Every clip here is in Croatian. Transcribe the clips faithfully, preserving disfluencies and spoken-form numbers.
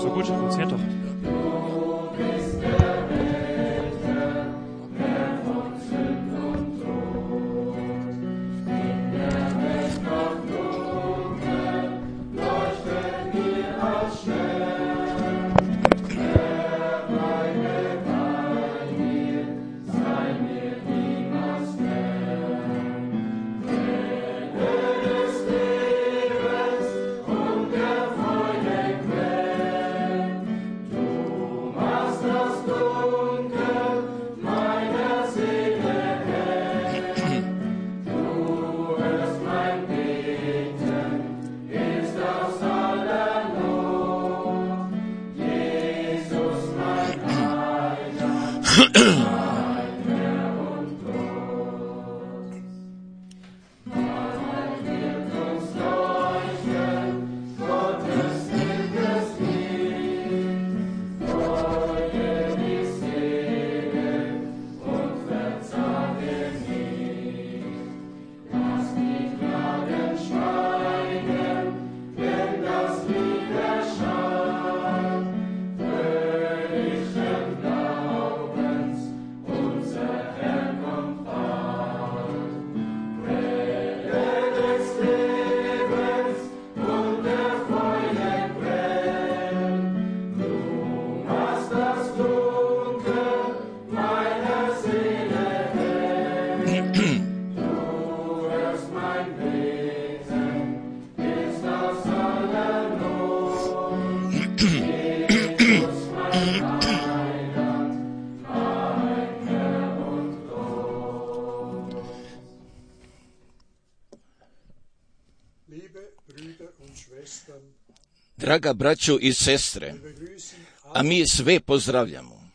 So gut, funktioniert doch. Draga braćo i sestre, a mi sve pozdravljamo,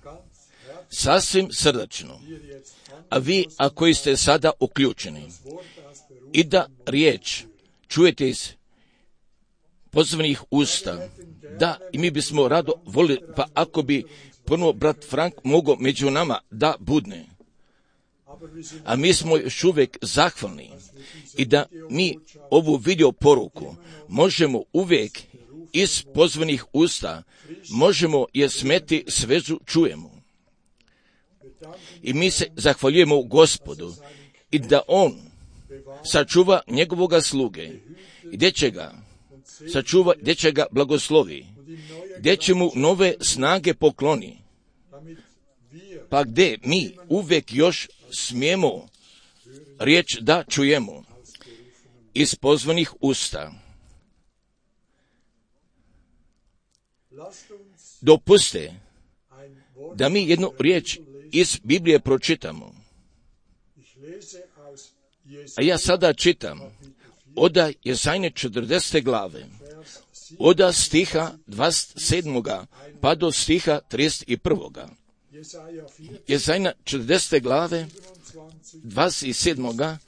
sasvim srdačno, a vi, a koji ste sada uključeni, i da riječ čujete iz pozvanih usta, da i mi bismo rado volili, pa ako bi ponovo brat Frank mogao među nama da budne. A mi smo još uvijek zahvalni i da mi ovu video poruku možemo uvijek iz pozvanih usta, možemo je smeti svežu čujemo. I mi se zahvaljujemo Gospodu i da On sačuva njegovoga sluge, gdje će ga sačuva, gdje će ga blagoslovi, gdje će mu nove snage pokloni, pa gdje mi uvijek još smijemo riječ da čujemo iz pozvanih usta. Dopuste da mi jednu riječ iz Biblije pročitamo. A ja sada čitam oda Jezajne četrdesete glave, oda stiha dvadeset sedmoga pa do stiha trideset prvoga. Jezajna četrdesete glave, dvadeset sedmoga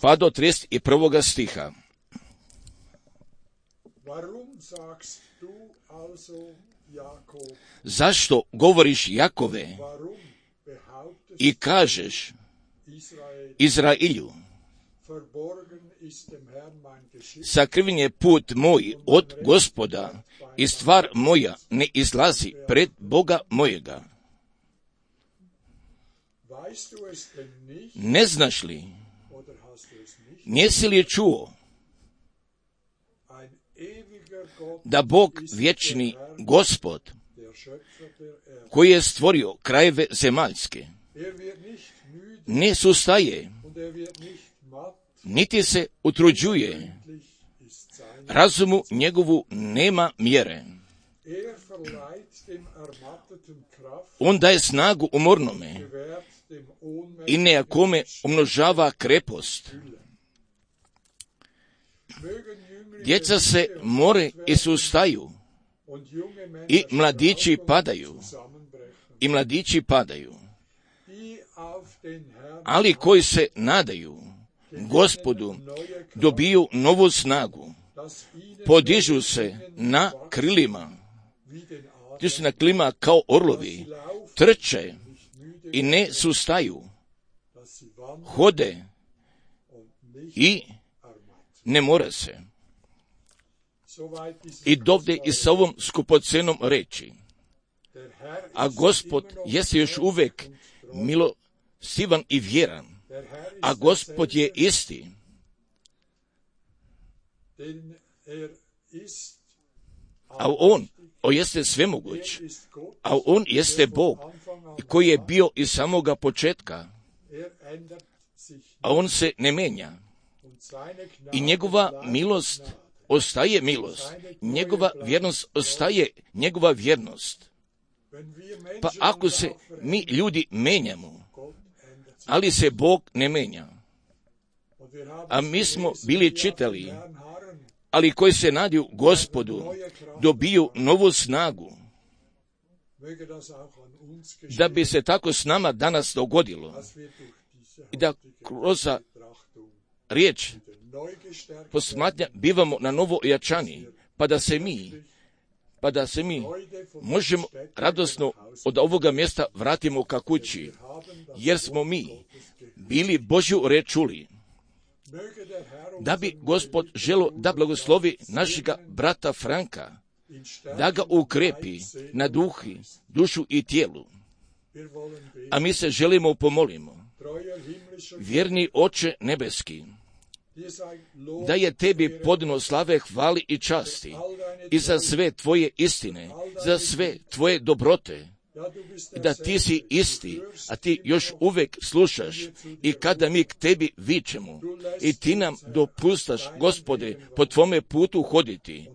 pa do trideset prvoga stiha. Zašto govoriš Jakove i kažeš Izrailju, sakriven je put moj od Gospoda i stvar moja ne izlazi pred Boga mojega. Ne znaš li, nisi li čuo da Bog vječni Gospod, koji je stvorio krajeve zemaljske, ne sustaje, niti se utruđuje, razumu njegovu nema mjere. On daje snagu umornome i nejakome umnožava krepost. Djeca se more i sustaju, i mladići padaju, i mladići padaju. Ali koji se nadaju Gospodu, dobiju novu snagu, podižu se na krilima, ti su na krilima kao orlovi, trče i ne sustaju, hode i ne more se. i dovde i sa ovom skupocenom reči. A Gospod jeste još uvek milostivan i vjeran, a Gospod je isti. A on, on jeste svemoguć, a on jeste Bog koji je bio iz samoga početka, a on se ne menja. I njegova milost ostaje milost, njegova vjernost ostaje njegova vjernost. Pa ako se mi ljudi menjamo, ali se Bog ne menja, a mi smo bili čitali, ali koji se nadaju Gospodu, dobiju novu snagu, da bi se tako s nama danas dogodilo i da kroz riječ posmatnja bivamo na novo ojačani, pa da se mi pa da se mi možemo radosno od ovoga mjesta vratimo ka kući, jer smo mi bili Božju reč čuli. Da bi Gospod želo da blagoslovi našega brata Franka, da ga ukrepi na duhi, dušu i tijelu. A mi se želimo pomolimo. Vjerni Oče nebeski, da je tebi podno slave, hvali i časti i za sve tvoje istine, za sve tvoje dobrote, i da ti si isti, a ti još uvek slušaš i kada mi k tebi vičemo i ti nam dopustaš, Gospode, po tvome putu hoditi,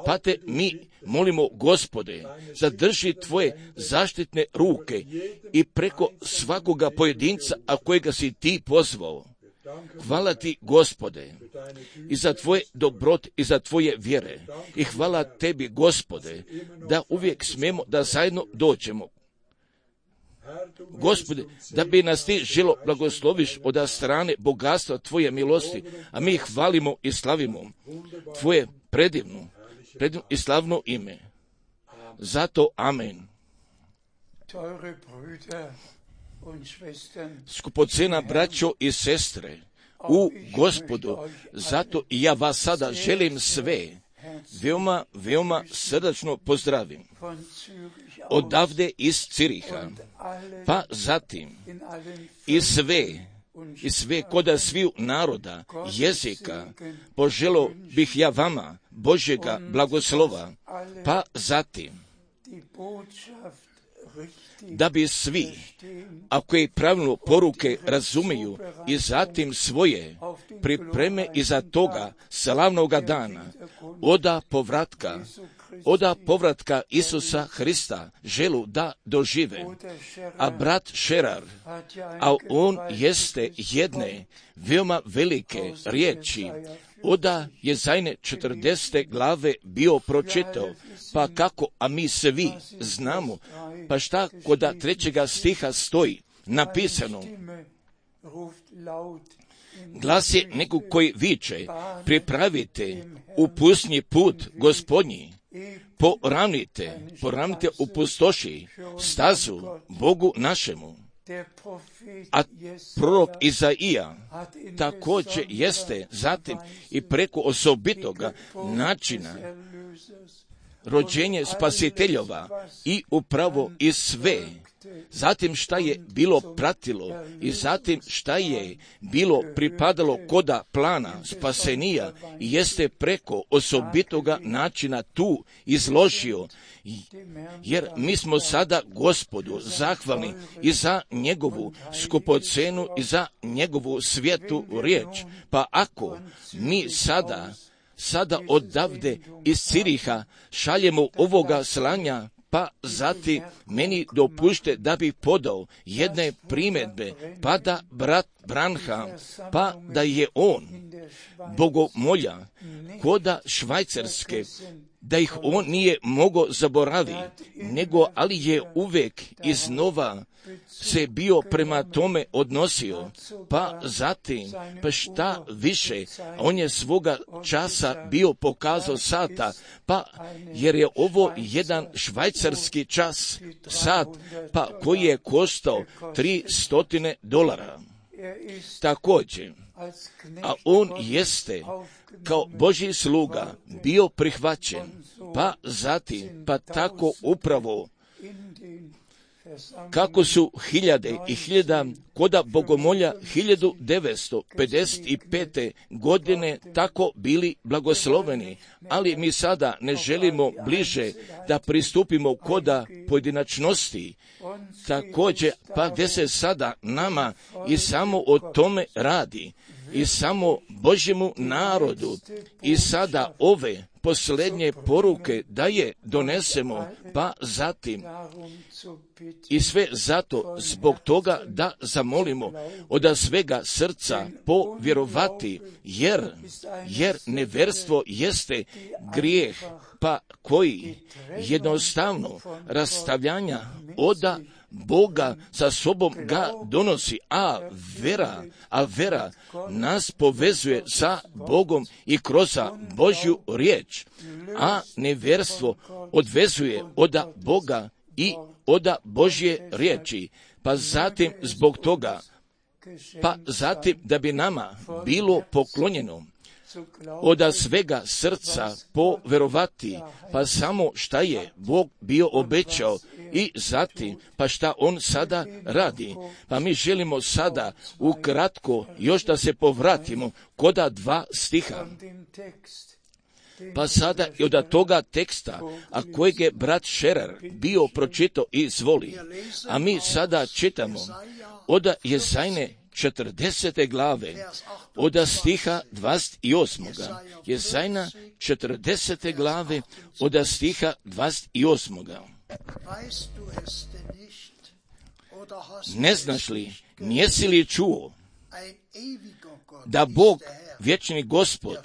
pa te mi molimo, Gospode, zadrži tvoje zaštitne ruke i preko svakoga pojedinca, a kojega si ti pozvao. Hvala ti, Gospode, i za tvoje dobrote i za tvoje vjere. I hvala tebi, Gospode, da uvijek smemo da zajedno dođemo. Gospode, da bi nas ti želo blagosloviš od strane bogatstva tvoje milosti, a mi hvalimo i slavimo tvoje predivno, predivno i slavno ime. Zato amen. Skupocena braćo i sestre, u Gospodu, zato i ja vas sada želim sve veoma, veoma srdačno pozdravim. Odavde iz Ciriha, pa zatim i sve, i sve koda sviju naroda, jezika, poželo bih ja vama Božjega blagoslova, pa zatim da bi svi, a koji pravilno poruke razumiju i zatim svoje pripreme iza toga slavnoga dana, oda povratka, oda povratka Isusa Hrista želu da dožive. A brat Šerar, a on jeste jedne veoma velike riječi, oda je zajne četrdesete glave bio pročitao, pa kako, a mi svi znamo, pa šta koda trećega stiha stoji napisano. Glas je nekog koji viče, pripravite upusni put Gospodnji, poravnite, poravnite u pustoši stazu Bogu našemu. A prorok Izaija također jeste zatim i preko osobitoga načina rođenje spasiteljova i upravo i sve. Zatim šta je bilo pratilo i zatim šta je bilo pripadalo koda plana spasenija i jeste preko osobitoga načina tu izložio. Jer mi smo sada Gospodu zahvalni i za njegovu skupocenu i za njegovu svijetu riječ. Pa ako mi sada, sada odavde iz Ciriha šaljemo ovoga slanja, pa zatim meni dopušte da bih podao jedne primjedbe, pa da brat Branham, pa da je on bogomolja koda Švajcarske, da ih on nije mogao zaboraviti, nego ali je uvijek iznova se bio prema tome odnosio, pa zatim, pa šta više, on je svoga časa bio pokazao sata, pa jer je ovo jedan švajcarski čas, sat, pa koji je koštao tri stotine dolara. Također, a on jeste kao Božji sluga bio prihvaćen, pa zatim, pa tako upravo kako su hiljade i hiljada koda bogomolja hiljadu devetsto pedeset pete. godine tako bili blagosloveni, ali mi sada ne želimo bliže da pristupimo koda pojedinačnosti, također pa gdje se sada nama i samo o tome radi, i samo Božjemu narodu, i sada ove posljednje poruke da je donesemo, pa zatim i sve zato zbog toga da zamolimo od svega srca povjerovati, jer, jer neverstvo jeste grijeh, pa koji jednostavno rastavljanja oda Boga sa sobom ga donosi, a vera, a vera nas povezuje sa Bogom i kroz Božju riječ, a neverstvo odvezuje od Boga i od Božje riječi, pa zatim zbog toga, pa zatim da bi nama bilo poklonjeno od svega srca povjerovati, pa samo šta je Bog bio obećao, i zatim pa šta on sada radi. Pa mi želimo sada ukratko još da se povratimo koda dva stiha. Pa sada i od toga teksta, a kojeg je brat Šerer bio pročitao i izvoli, a mi sada čitamo od Jezajne četrdesete glave, od stiha dvadeset osmog. Jezajna četrdesete glave, od stiha dvadeset osmog. Ne znaš li, njesi li čuo, da Bog, vječni Gospod,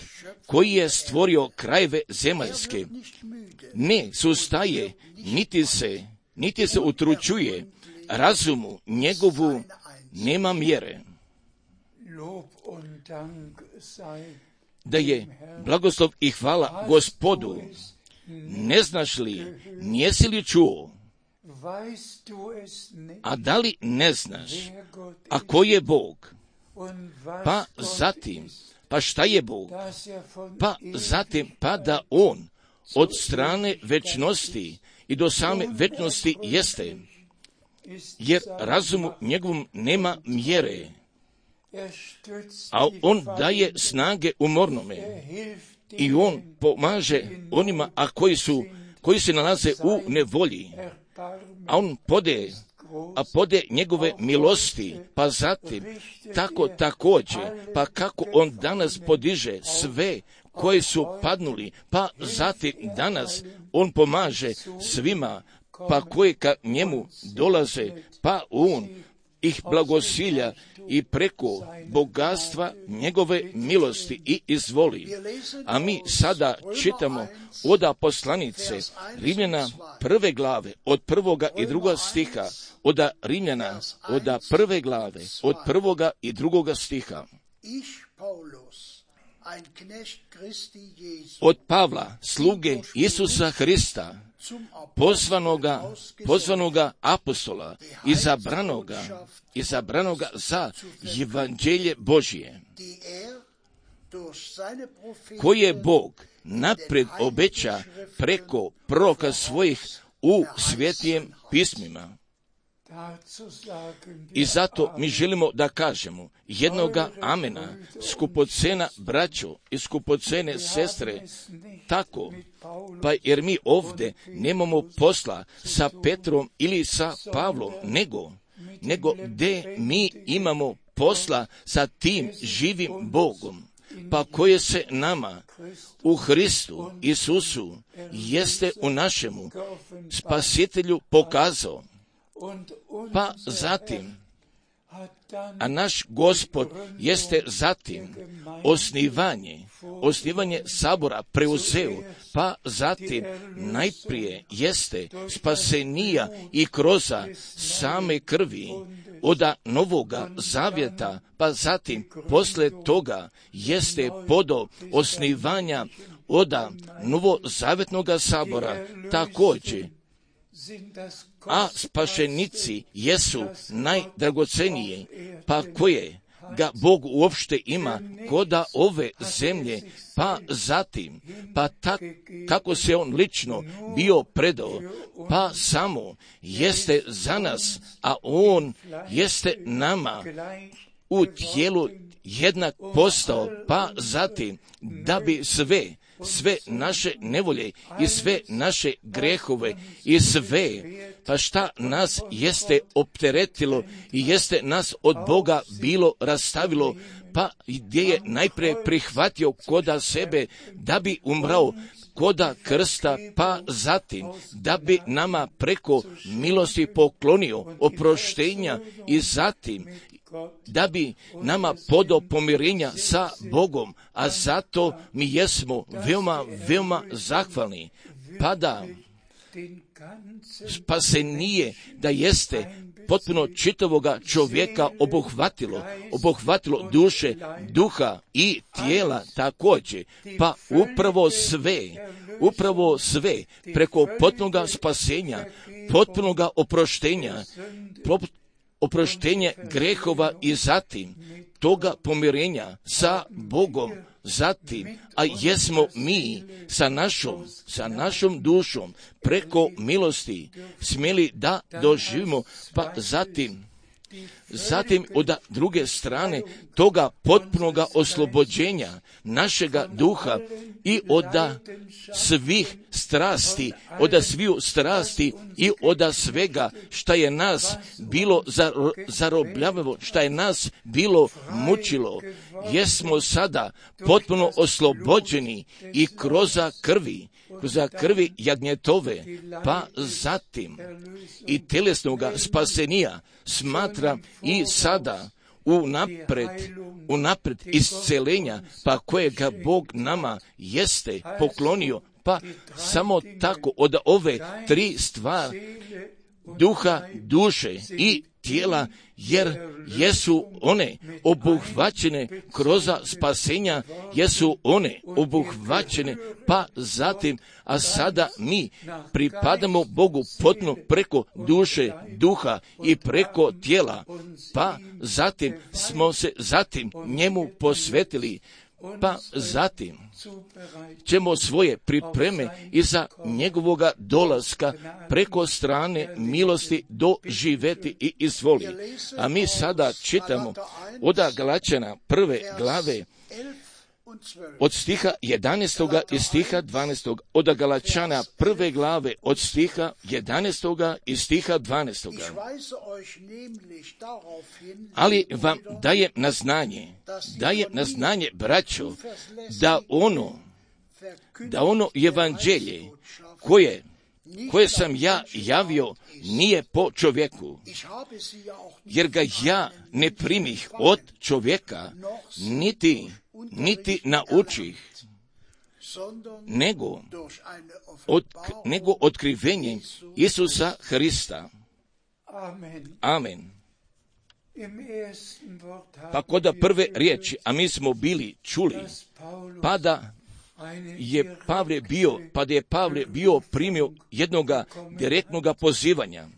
koji je stvorio krajeve zemaljske, ne sustaje, niti se, niti se utručuje, razumu njegovu nema mjere. Da je blagoslov i hvala Gospodu. Ne znaš li, njesi li čuo, a da li ne znaš, a ko je Bog? Pa zatim, pa šta je Bog? Pa zatim, pa da on od strane večnosti i do same večnosti jeste, jer razumu njegovom nema mjere, a on daje snage umornome i on pomaže onima, a koji su, koji se nalaze u nevolji, a on pode, a pode njegove milosti, pa zatim tako također, pa kako on danas podiže sve koji su padnuli, pa zatim danas on pomaže svima, pa koji ka njemu dolaze, pa on ih blagosilja i preko bogatstva njegove milosti i izvoli. A mi sada čitamo od poslanice Rimljana prve glave, od prvoga i drugoga stiha, od Rimljana, od prve glave, od prvoga i drugoga stiha. Od Pavla, sluge Isusa Hrista, pozvanoga, pozvanoga apostola, izabranoga, izabranoga za evanđelje Božije, koje Bog napred obeća preko proroka svojih u svetijem pismima. I zato mi želimo da kažemo jednoga amena, skupocena braćo i skupocene sestre, tako, pa jer mi ovdje nemamo posla sa Petrom ili sa Pavlom, nego, nego gdje mi imamo posla sa tim živim Bogom, pa koje se nama u Hristu Isusu jeste u našemu Spasitelju pokazao. Pa zatim, a naš Gospod jeste zatim osnivanje, osnivanje sabora preuzeo, pa zatim najprije jeste spasenija i kroz same krvi od novoga zavjeta, pa zatim posle toga jeste podo osnivanja od novozavjetnoga sabora također. A spašenici jesu najdragocenije, pa koje, ga Bog uopšte ima koda ove zemlje, pa zatim, pa tak, kako se on lično bio predao, pa samo jeste za nas, a on jeste nama u tijelu jednak postao, pa zatim da bi sve, sve naše nevolje i sve naše grehove i sve, pa šta nas jeste opteretilo i jeste nas od Boga bilo rastavilo, pa gdje je najprije prihvatio koda sebe da bi umrao koda krsta, pa zatim da bi nama preko milosti poklonio oproštenja i zatim da bi nama podao pomirenja sa Bogom, a zato mi jesmo veoma, veoma zahvalni. Pa da spasenije da jeste potpuno čitavoga čovjeka obuhvatilo, obuhvatilo duše, duha i tijela također, pa upravo sve, upravo sve preko potpunoga spasenja, potpunoga oproštenja, oproštenje grehova i zatim toga pomirenja sa Bogom, zatim, a jesmo mi sa našom, sa našom dušom preko milosti smjeli da doživimo, pa zatim, zatim od druge strane toga potpunoga oslobođenja našega duha i od svih strasti, od sviju strasti i od svega šta je nas bilo zarobljavalo, šta je nas bilo mučilo, jesmo sada potpuno oslobođeni i kroz krvi, kroz krvi jagnjetove, pa zatim i telesnoga spasenija smatra i sada unapred, unapred iscelenja, pa kojega Bog nama jeste poklonio, pa samo tako od ove tri stvari, duha, duše i tijela, jer jesu one obuhvaćene kroz spasenja, jesu one obuhvaćene, pa zatim, a sada mi pripadamo Bogu potpuno preko duše, duha i preko tijela, pa zatim smo se zatim njemu posvetili, pa zatim ćemo svoje pripreme iza njegovoga dolaska preko strane milosti doživjeti i izvoli. A mi sada čitamo od Galačana prve glave od stiha jedanaestoga i stiha dvanaestoga, od Galačana prve glave od stiha jedanaestoga i stiha dvanaestoga. Ali vam dajem na znanje, dajem na znanje, braćo, da ono, da ono evanđelje koje, koje sam ja javio nije po čovjeku, jer ga ja ne primih od čovjeka, niti niti naučih, nego, od, nego otkrivenje Isusa Hrista. Amen. Pa kod prve riječi, a mi smo bili čuli, pa da je Pavle bio, pa da je Pavle bio primio jednoga direktnoga pozivanja.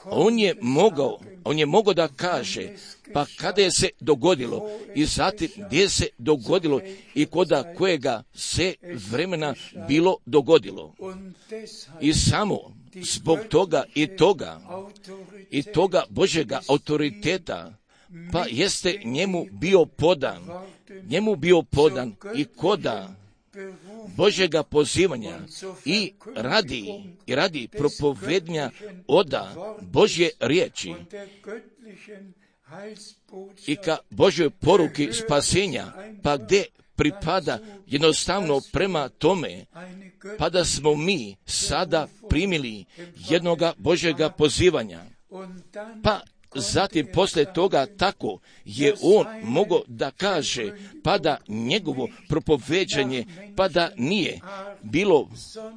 On je mogao, on je mogao da kaže, pa kada je se dogodilo i zatim gdje se dogodilo i koda kojega se vremena bilo dogodilo. I samo zbog toga i toga i toga Božjega autoriteta, pa jeste njemu bio podan, njemu bio podan i koda Božjega pozivanja i radi, i radi propovednja oda Božje riječi i ka Božjoj poruki spasenja, pa gdje pripada jednostavno prema tome, pa da smo mi sada primili jednoga Božjega pozivanja, pa zatim poslije toga tako je on mogao da kaže, pa da njegovo propoveđanje, pa da nije bilo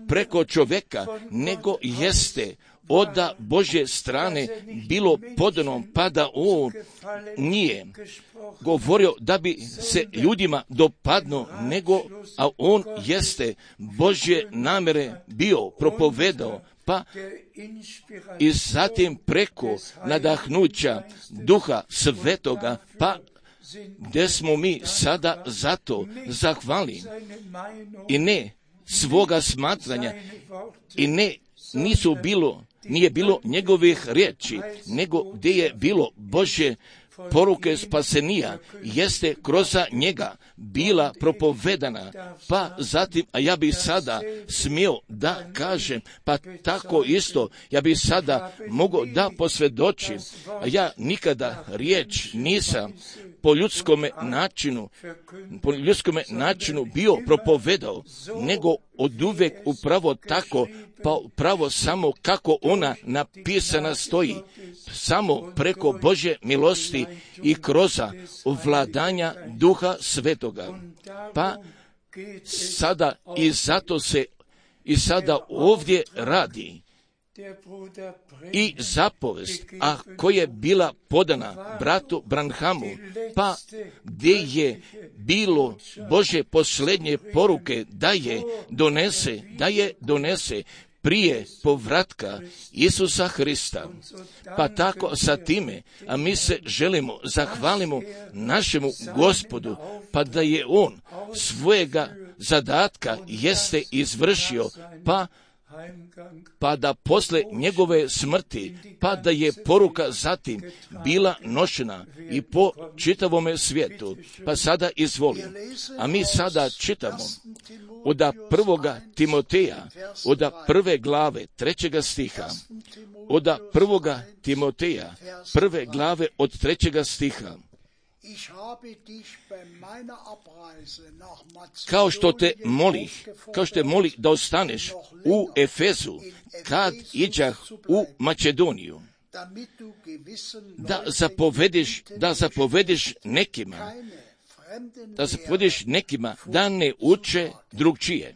preko čovjeka, nego jeste od Božje strane bilo podano, pa da on nije govorio da bi se ljudima dopadno, nego, a on jeste Božje namjere bio propovedao, pa i zatim preko nadahnuća Duha Svetoga, pa gdje smo mi sada zato zahvalni i ne svoga smatranja i ne nisu bilo, nije bilo njegovih riječi, nego gdje je bilo Božje poruke spasenija, jeste kroz njega bila propovedana, pa zatim, a ja bih sada smio da kažem, pa tako isto, ja bih sada mogao da posvjedočim, a ja nikada riječ nisam po ljudskome načinu, po ljudskome načinu bio propovedao, nego oduvijek upravo tako, pa upravo samo kako ona napisana stoji, samo preko Božje milosti i kroz vladanja Duha Svetoga. Pa sada i zato se i sada ovdje radi i zapovest, a koja je bila podana bratu Branhamu, pa gdje je bilo Božje posljednje poruke da je donese, da je donese prije povratka Isusa Hrista. Pa tako sa time, a mi se želimo, zahvalimo našemu Gospodu, pa da je On svojega zadatka jeste izvršio, pa pa da posle njegove smrti, pa da je poruka zatim bila nošena i po čitavome svijetu. Pa sada izvolim. A mi sada čitamo od prvoga Timoteja, od prve glave, trećega stiha, od prvoga Timoteja, prve glave od trećega stiha. Kao što te molih, kao što te molih da ostaneš u Efezu, kad iđah u Makedoniju, da zapovediš, da zapovediš nekima, da zapovediš nekima da ne uče drugčije.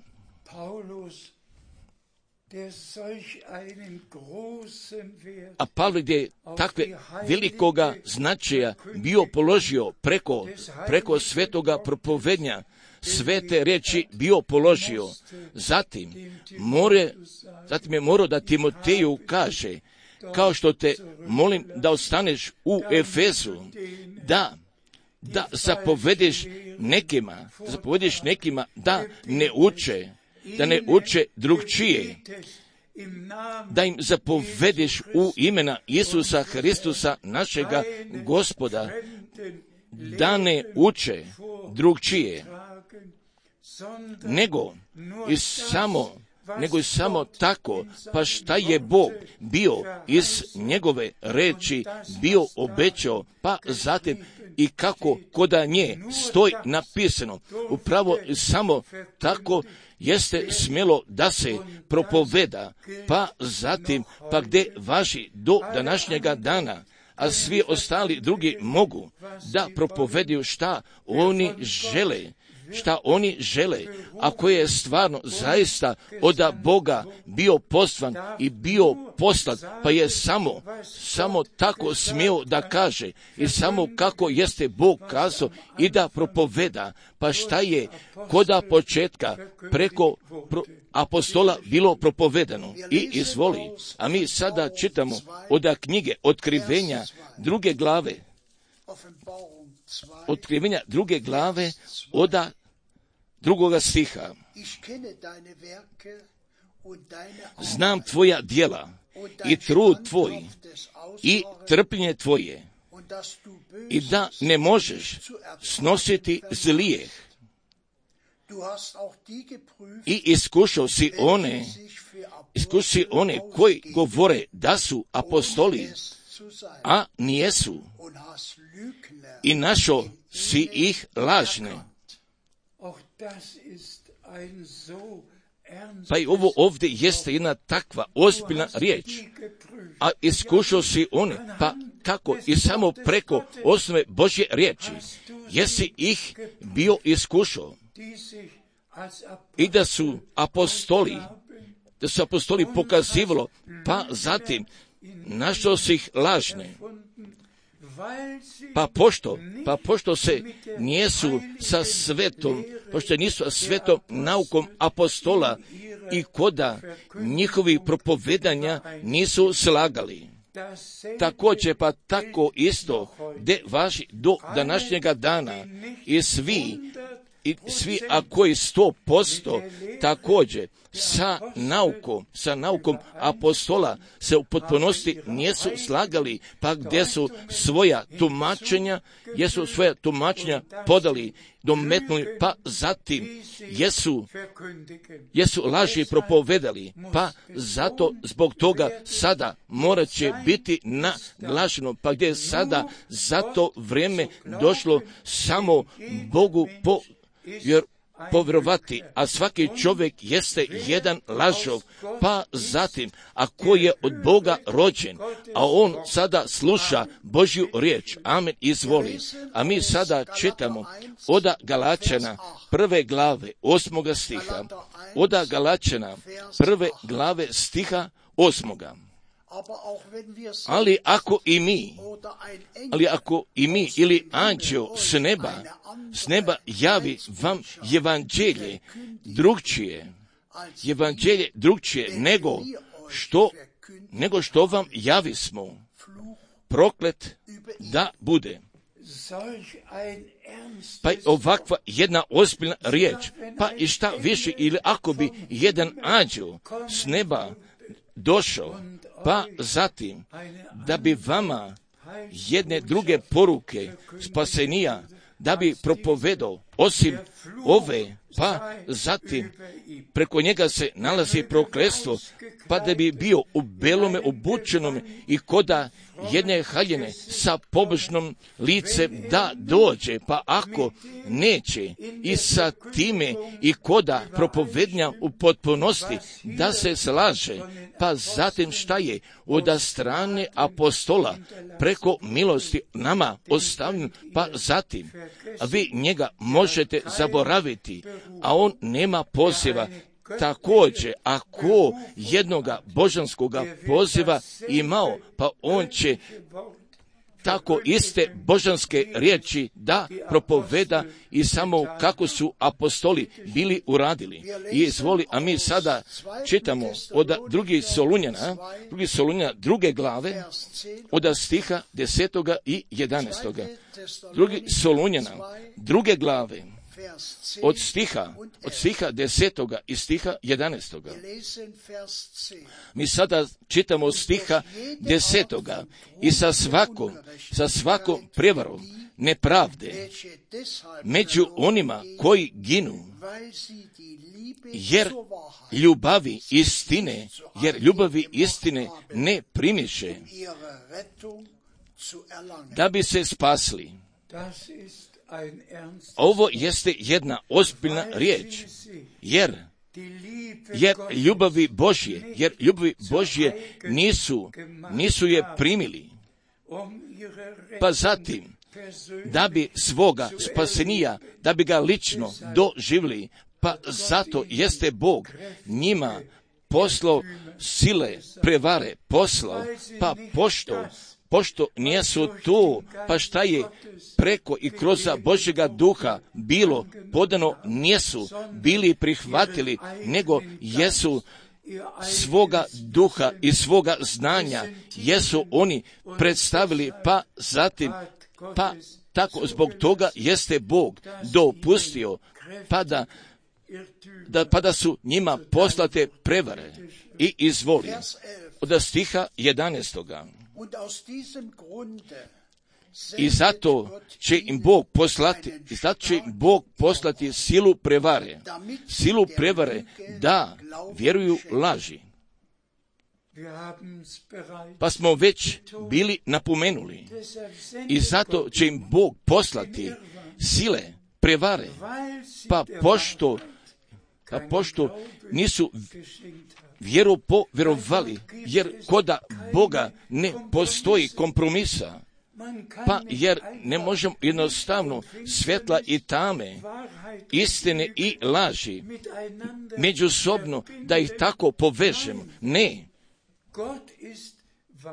A Pavle je takve velikoga značaja bio položio preko, preko svetoga propovednja, svete riječi bio položio. Zatim, more, zatim je morao da Timoteju kaže, kao što te molim da ostaneš u Efezu, da da zapovediš nekima, zapovediš nekima da ne uče, da ne uče drugčije, da im zapovediš u imena Isusa Hristusa, našega Gospoda, da ne uče drugčije, nego i samo nego i samo tako, pa šta je Bog bio iz njegove reči bio obećao, pa zatim i kako koda nje stoji napisano, upravo samo tako jeste smjelo da se propoveda, pa zatim, pa gdje važi do današnjega dana, a svi ostali drugi mogu da propovedaju šta oni žele, šta oni žele, ako je stvarno zaista od Boga bio poslan i bio poslat, pa je samo, samo tako smio da kaže i samo kako jeste Bog kazao i da propoveda, pa šta je koda početka preko pro, apostola bilo propovedano i izvoli. A mi sada čitamo od knjige Otkrivenja druge glave, Otkrivenja druge glave od drugoga stiha. Znam tvoja djela i trud tvoj i trpljenje tvoje i da ne možeš snositi zlijeh i iskušao si one, iskušao si one koji govore da su apostoli, a nijesu, i našao si ih lažne. Pa i ovo ovdje jeste jedna takva ozbiljna riječ, a iskušao si one, pa kako i samo preko osnove Božje riječi, jesi ih bio iskušao i da su apostoli, da su apostoli pokazivalo, pa zatim našao si ih lažne. Pa pošto, pa pošto se nijesu sa svetom, pošto nisu sa svetom naukom apostola i koda njihovi propovedanja nisu slagali. također pa tako isto de važi do današnjega dana i svi i svi a koji sto posto također sa naukom, sa naukom apostola se u potpunosti nisu slagali, pa gdje su svoja tumačenja, jesu svoja tumačenja podali, dometnuli, pa zatim jesu, jesu laži propovedali, pa zato zbog toga sada morat će biti naglašeno, pa gdje je sada za to vrijeme došlo samo Bogu po jer povjerovati, a svaki čovjek jeste jedan lažov, pa zatim, ako je od Boga rođen, a on sada sluša Božju riječ, amen, izvoli. A mi sada čitamo od Galačana prve glave osmoga stiha, od Galačana prve glave stiha osmoga. Ali ako i mi, ali ako i mi ili anđeo s neba, s neba javi vam evanđelje drugčije, evanđelje drugčije nego što, nego što vam javismo, proklet da bude. Pa ovakva jedna ozbiljna riječ, pa i šta više, ili ako bi jedan anđeo s neba došao, pa zatim da bi vama jedne druge poruke spasenija, da bi propovedao osim ove, pa zatim preko njega se nalazi prokletstvo, pa da bi bio u belome obučenom i koda jedne haljine sa pobožnom licem da dođe, pa ako neće i sa time i koda propovednja u potpunosti da se slaže, pa zatim šta je od strane apostola preko milosti nama ostavljen, pa zatim a vi njega možete zaboraviti, a on nema poziva. Također, ako jednoga božanskoga poziva imao, pa on će tako iste božanske riječi da propoveda i samo kako su apostoli bili uradili. I izvoli, a mi sada čitamo od drugih Solunjana, drugi Solunjana druge glave, od stiha desetoga i jedanaestoga. Drugi Solunjana druge glave, od stiha, od stiha desetoga i stiha jedanaestoga. Mi sada čitamo od stiha desetoga i sa svakom, sa svakom prevarom nepravde među onima koji ginu, jer ljubavi istine, jer ljubavi istine ne primiše, da bi se spasli. Ovo jeste jedna ozbiljna riječ, jer, jer ljubavi Božje, jer ljubavi Božje nisu, nisu je primili, pa zatim, da bi svoga spasenija, da bi ga lično doživjeli, pa zato jeste Bog njima poslao sile, prevare, poslao, pa pošto, pošto nijesu tu, pa šta je preko i kroz Božjega duha bilo podano, nijesu bili prihvatili, nego jesu svoga duha i svoga znanja, jesu oni predstavili, pa zatim, pa tako zbog toga jeste Bog dopustio, pa da, da, pa da su njima poslate prevare i izvoli. Od stiha jedanaestoga. I zato će im Bog poslati, i zato će im Bog poslati silu prevare, silu prevare da vjeruju laži. Pa smo već bili napomenuli. I zato će im Bog poslati sile prevare, pa pošto, pa pošto nisu vjeru povjerovali, jer koda Boga ne postoji kompromisa, pa jer ne možemo jednostavno svjetla i tame, istine i laži, međusobno da ih tako povežemo. Ne.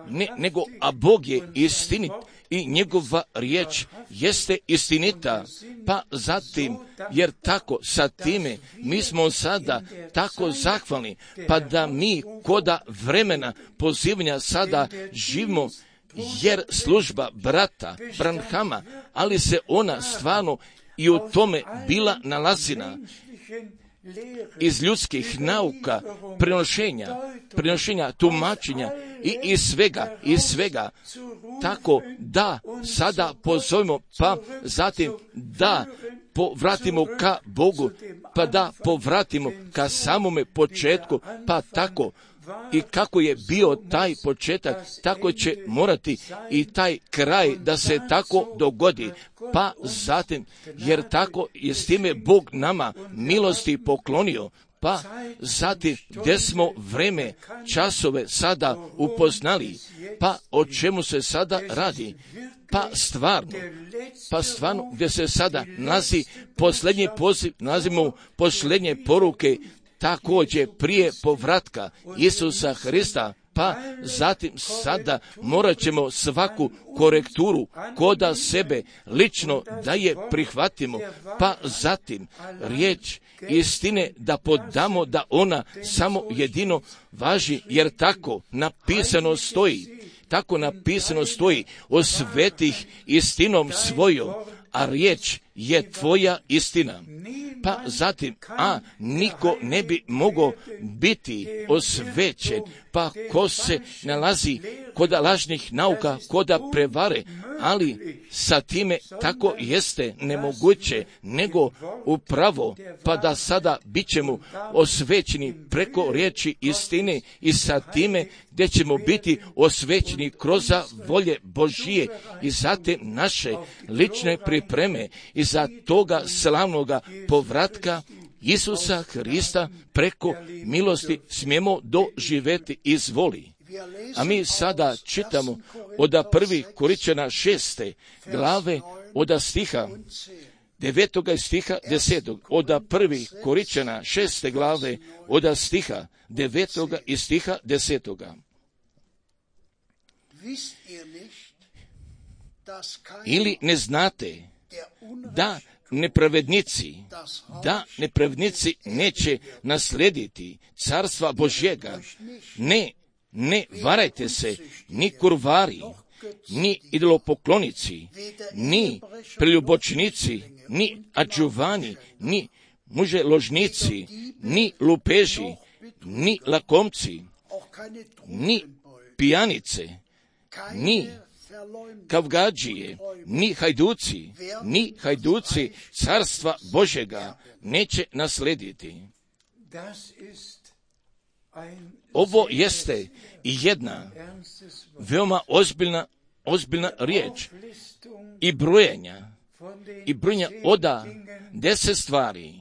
ne, nego, a Bog je istinit i njegova riječ jeste istinita. Pa zatim, jer tako sa time mi smo sada tako zahvalni, pa da mi koda vremena pozivanja sada živimo, jer služba brata Branhama, ali se ona stvarno i u tome bila nalazina iz ljudskih nauka, prenošenja, prenošenja, tumačenja i iz svega, iz svega, tako da sada pozovemo, pa zatim da povratimo ka Bogu, pa da povratimo ka samome početku, pa tako i kako je bio taj početak, tako će morati i taj kraj da se tako dogodi. Pa zatim, jer tako je s time Bog nama milosti poklonio, pa zatim gdje smo vreme, časove sada upoznali, pa o čemu se sada radi, pa stvarno, pa stvarno gdje se sada nalazi posljednji poziv, nalazimo posljednje poruke, također prije povratka Isusa Hrista, pa zatim sada morat ćemo svaku korekturu koda sebe lično da je prihvatimo, pa zatim riječ istine da podamo da ona samo jedino važi, jer tako napisano stoji, tako napisano stoji, osvetih istinom svojom, a riječ je tvoja istina. Pa zatim, a niko ne bi mogao biti osvećen, pa ko se nalazi koda lažnih nauka, koda prevare, ali sa time tako jeste nemoguće, nego upravo, pa da sada bit ćemo osvećeni preko riječi istine i sa time gdje ćemo biti osvećeni kroz volje Božije i zatim naše lične pripreme i za toga slavnoga povratka Isusa Hrista preko milosti smijemo doživjeti izvoli. A mi sada čitamo od prvih Korinčana šeste glave od stiha devetoga stiha desetog, od prvih Korinčana šeste glave od stiha devetoga i stiha desetoga. Ili ne znate da nepravednici, da nepravednici neće naslediti carstva Božjega. Ne, ne varajte se, ni kurvari, ni idolopoklonici, ni preljubočnici, ni adžuvani, ni muželožnici, ni lupeži, ni lakomci, ni pijanice, ni kavgadžije, ni hajduci, ni hajduci carstva Božjega neće naslediti. Ovo jeste jedna veoma ozbiljna, ozbiljna riječ i brojenja, i brojenja oda deset stvari,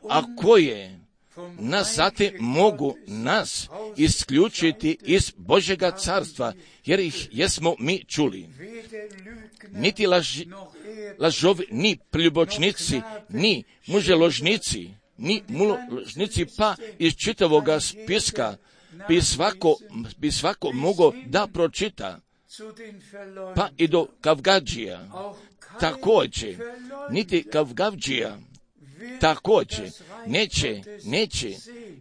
a koje nas zatim mogu nas isključiti iz Božjega carstva, jer ih jesmo mi čuli. Niti laži, lažovi, ni preljubočnici, ni muželožnici, ni muložnici, pa iz čitavoga spiska bi svako, bi svako mogao da pročita, pa i do kavgadžija, također, niti kavgadžija, također, neće, neće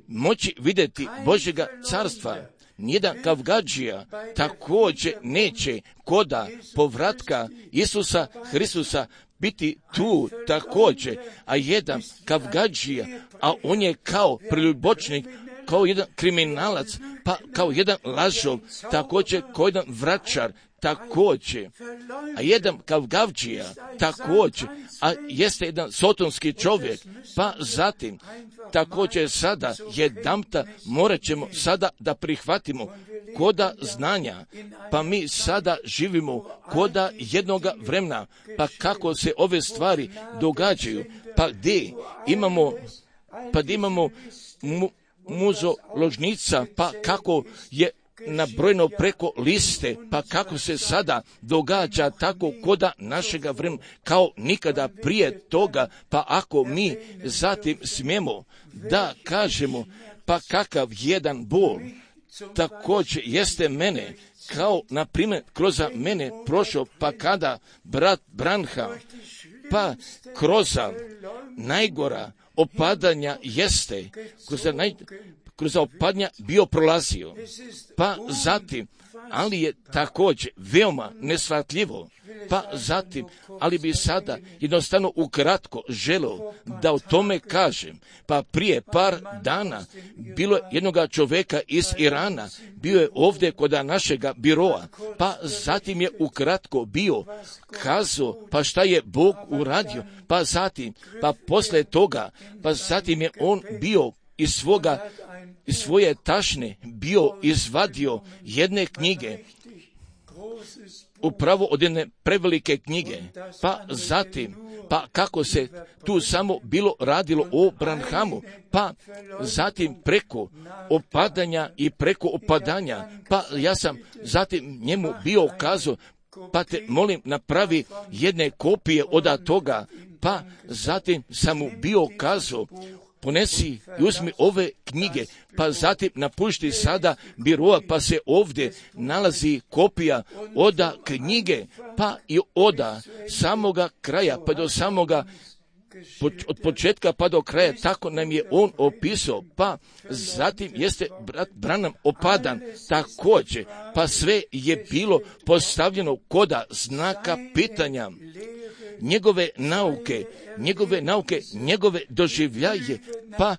moći vidjeti Božjega carstva. Nijedan kavgadžija također neće koda povratka Isusa Hristusa biti tu također, a jedan kavgadžija, a on je kao preljubočnik, kao jedan kriminalac, pa kao jedan lažov, također kao jedan vračar, također, a jedan kavgadžija, također, a jeste jedan sotonski čovjek, pa zatim, također sada, jedanput morat ćemo sada da prihvatimo koda znanja, pa mi sada živimo koda jednoga vremena, pa kako se ove stvari događaju, pa gdje imamo, pa gdje imamo mu, muzoložnica, pa kako je nabrojeno preko liste, pa kako se sada događa tako koda našega vremena, kao nikada prije toga, pa ako mi zatim smijemo da kažemo, pa kakav jedan bol također jeste mene, kao na primjer kroz mene prošao, pa kada brat Branham, pa kroz najgora opadanja jeste, kroz, naj, kroz opadanja bio prolazio, pa zatim, ali je također veoma nesvatljivo, pa zatim, ali bi sada jednostavno ukratko želio da o tome kažem. Pa prije par dana bilo je jednoga čovjeka iz Irana, bio je ovdje kod našega biroa, pa zatim je ukratko bio kazao, pa šta je Bog uradio, pa zatim, pa poslije toga, pa zatim je on bio iz svoga, iz svoje tašne bio izvadio jedne knjige, upravo od jedne prevelike knjige, pa zatim, pa kako se tu samo bilo radilo o Branhamu, pa zatim preko opadanja i preko opadanja, pa ja sam zatim njemu bio kazao, pa te molim napravi jedne kopije od toga, pa zatim sam mu bio kazao, ponesi i uzmi ove knjige, pa zatim napušti sada biroa, pa se ovdje nalazi kopija oda knjige, pa i oda samoga kraja, pa do samoga od početka pa do kraja, tako nam je on opisao, pa zatim jeste brat Branham opadan također, pa sve je bilo postavljeno koda znaka pitanja, njegove nauke, njegove nauke, njegove doživljaje, pa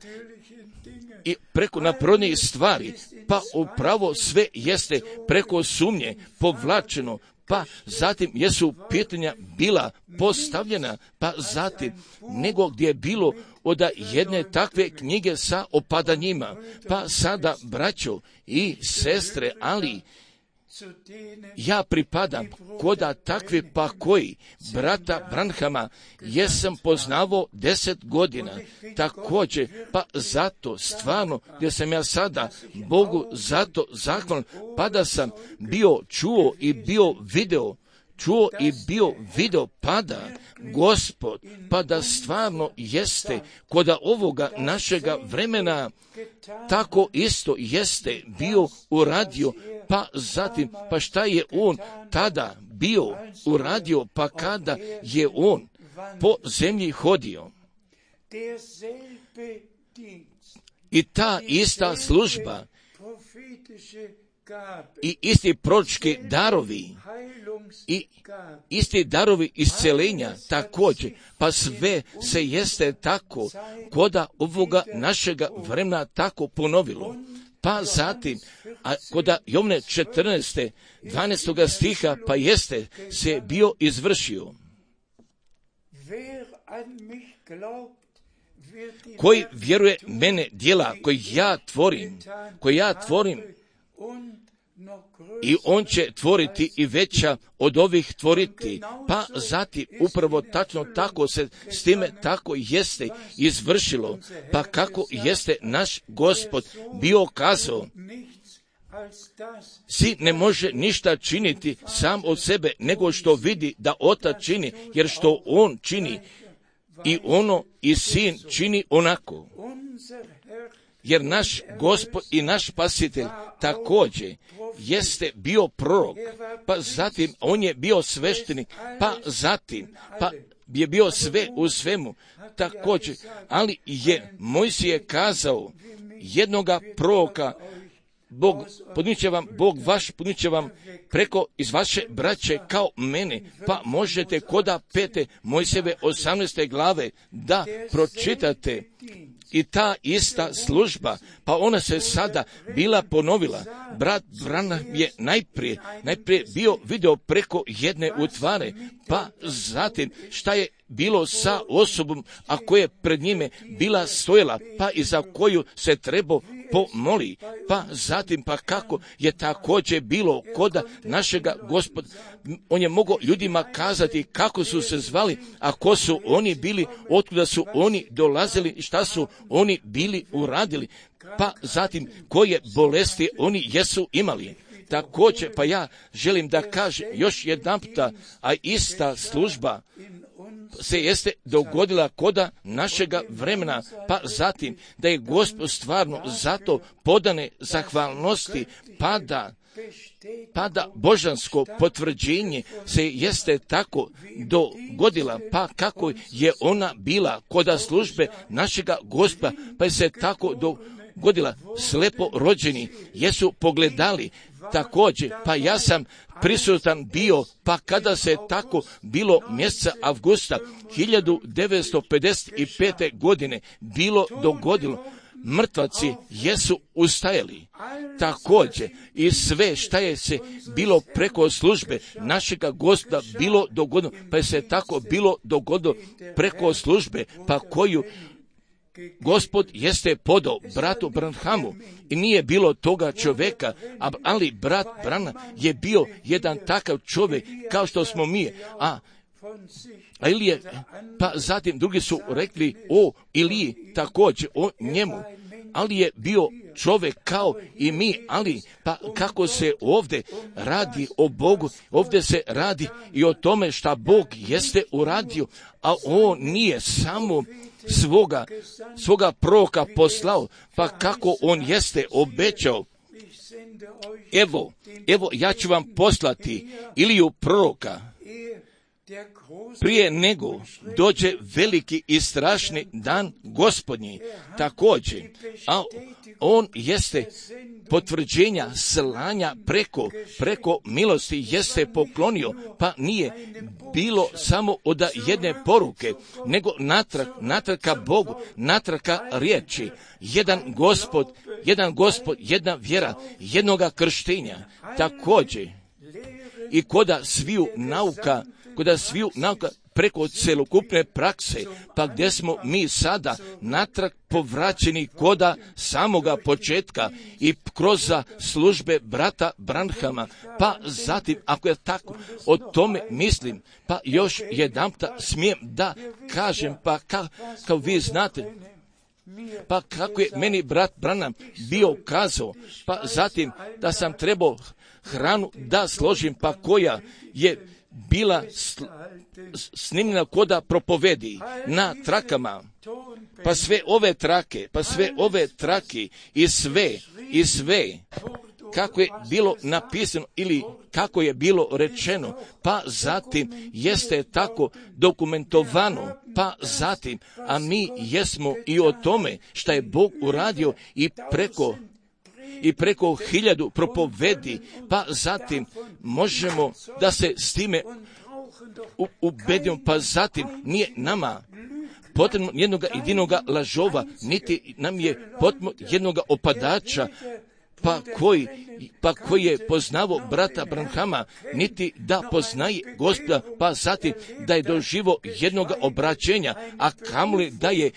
i preko naprodnih stvari, pa upravo sve jeste preko sumnje povlačeno, pa zatim jesu pitanja bila postavljena, pa zatim nego gdje je bilo od jedne takve knjige sa opadanjima, pa sada braćo i sestre, ali ja pripadam koda takvi pa koji brata Branhama jesam poznavao deset godina, također, pa zato stvarno gdje sam ja sada Bogu zato zahvalan, pa da sam bio čuo i bio video, čuo i bio video pada Gospod, pa da stvarno jeste koda ovoga našega vremena tako isto jeste bio uradio, pa zatim, pa šta je on tada bio uradio, pa kada je on po zemlji hodio. I ta ista služba i isti proročki darovi i isti darovi isceljenja također, pa sve se jeste tako koda ovoga našega vremena tako ponovilo. Pa zatim, a koda Jovne četrnaeste, dvanaestoga stiha, pa jeste se bio izvršio. Koji vjeruje mene djela koji ja tvorim, koji ja tvorim, i on će tvoriti i veća od ovih tvoriti. Pa zatim upravo tačno tako se s time tako jeste izvršilo. Pa kako jeste naš Gospod bio kazao, sin ne može ništa činiti sam od sebe, nego što vidi da otac čini, jer što on čini i ono i sin čini onako. Jer naš Gospod i naš Spasitelj također jeste bio prorok, pa zatim on je bio sveštenik, pa zatim pa je bio sve u svemu također, ali je Mojsije kazao jednoga proroka, Bog podniče vam, Bog vaš podniče vam preko iz vaše braće kao mene, pa možete koda pete Mojsijeve osamnaeste glave da pročitate. I ta ista služba, pa ona se sada bila ponovila. Brat Branham je najprije, najprije bio video preko jedne utvare, pa zatim šta je bilo sa osobom, a koja je pred njime bila stojala, pa i za koju se trebao pomoli, pa zatim pa kako je također bilo koda našega Gospoda. On je mogao ljudima kazati kako su se zvali, a ko su oni bili, otkuda su oni dolazili, šta su oni bili uradili, pa zatim koje bolesti oni jesu imali. Također, pa ja želim da kažem još jedan puta, a ista služba se jeste dogodila koda našega vremena, pa zatim da je Gospod stvarno zato podane zahvalnosti, pa da pa da božansko potvrđenje se jeste tako dogodila, pa kako je ona bila koda službe našega Gospa, pa je se tako dogodila. Slepo rođeni jesu pogledali također, pa ja sam prisutan bio, pa kada se tako bilo mjeseca avgusta hiljadu devetsto pedeset pete. godine bilo dogodilo, mrtvaci jesu ustajali. Također i sve šta je se bilo preko službe našega Gospoda bilo dogodilo, pa je se tako bilo dogodilo preko službe, pa koju Gospod jeste podao bratu Branhamu i nije bilo toga čovjeka, ali brat Branham je bio jedan takav čovjek kao što smo mi, a A Ilije, pa zatim drugi su rekli o Iliji također, o njemu, ali je bio čovjek kao i mi, ali pa kako se ovdje radi o Bogu, ovdje se radi i o tome šta Bog jeste uradio, a on nije samo svoga, svoga proroka poslao, pa kako on jeste obećao. Evo, evo ja ću vam poslati Iliju proroka, prije nego dođe veliki i strašni dan Gospodnji. Također, a on jeste potvrđenja slanja preko, preko milosti jeste poklonio, pa nije bilo samo od jedne poruke, nego natrag, natrag ka Bogu, natrag ka riječi. Jedan Gospod, jedan Gospod, jedna vjera, jednoga krštenja. Također, i koda sviju nauka, koda sviju nauka preko celokupne prakse, pa gdje smo mi sada natrag povraćeni koda samoga početka i kroz službe brata Branhama, pa zatim, ako je tako, o tome mislim, pa još jedanputa smijem da kažem, pa ka, kao vi znate, pa kako je meni brat Branham bio kazao, pa zatim da sam trebao hranu da složim, pa koja je bila sl- snimljena koda propovedi na trakama, pa sve ove trake, pa sve ove trake i sve, i sve, kako je bilo napisano ili kako je bilo rečeno, pa zatim jeste tako dokumentovano, pa zatim, a mi jesmo i o tome šta je Bog uradio i preko i preko hiljadu propovedi, pa zatim možemo da se s time ubedimo, pa zatim nije nama potrebno jednoga jedinoga lažova, niti nam je potrebno jednoga opadača, pa koji, pa koji je poznavo brata Branhama, niti da poznaje Gospoda, pa zatim da je doživo jednoga obraćenja, a kamoli da je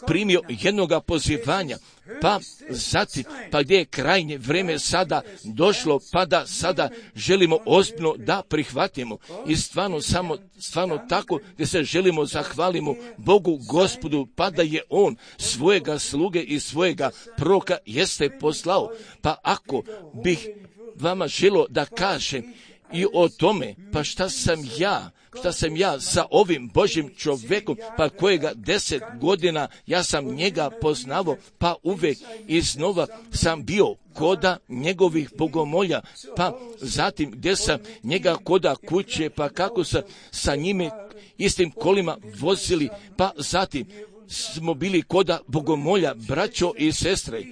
primio jednoga pozivanja, pa zatim, pa gdje je krajnje vrijeme sada došlo, pa da sada želimo ozbiljno da prihvatimo i stvarno samo, stvarno tako gdje se želimo zahvalimo Bogu Gospodu, pa da je On svojega sluge i svojega proroka jeste poslao. Pa ako bih vama želio da kažem i o tome, pa šta sam ja, šta sam ja sa ovim Božjim čovjekom, pa kojega deset godina ja sam njega poznavao, pa uvijek iznova sam bio koda njegovih bogomolja, pa zatim gdje sam njega koda kuće, pa kako sam sa njime istim kolima vozili, pa zatim smo bili koda bogomolja, braćo i sestre.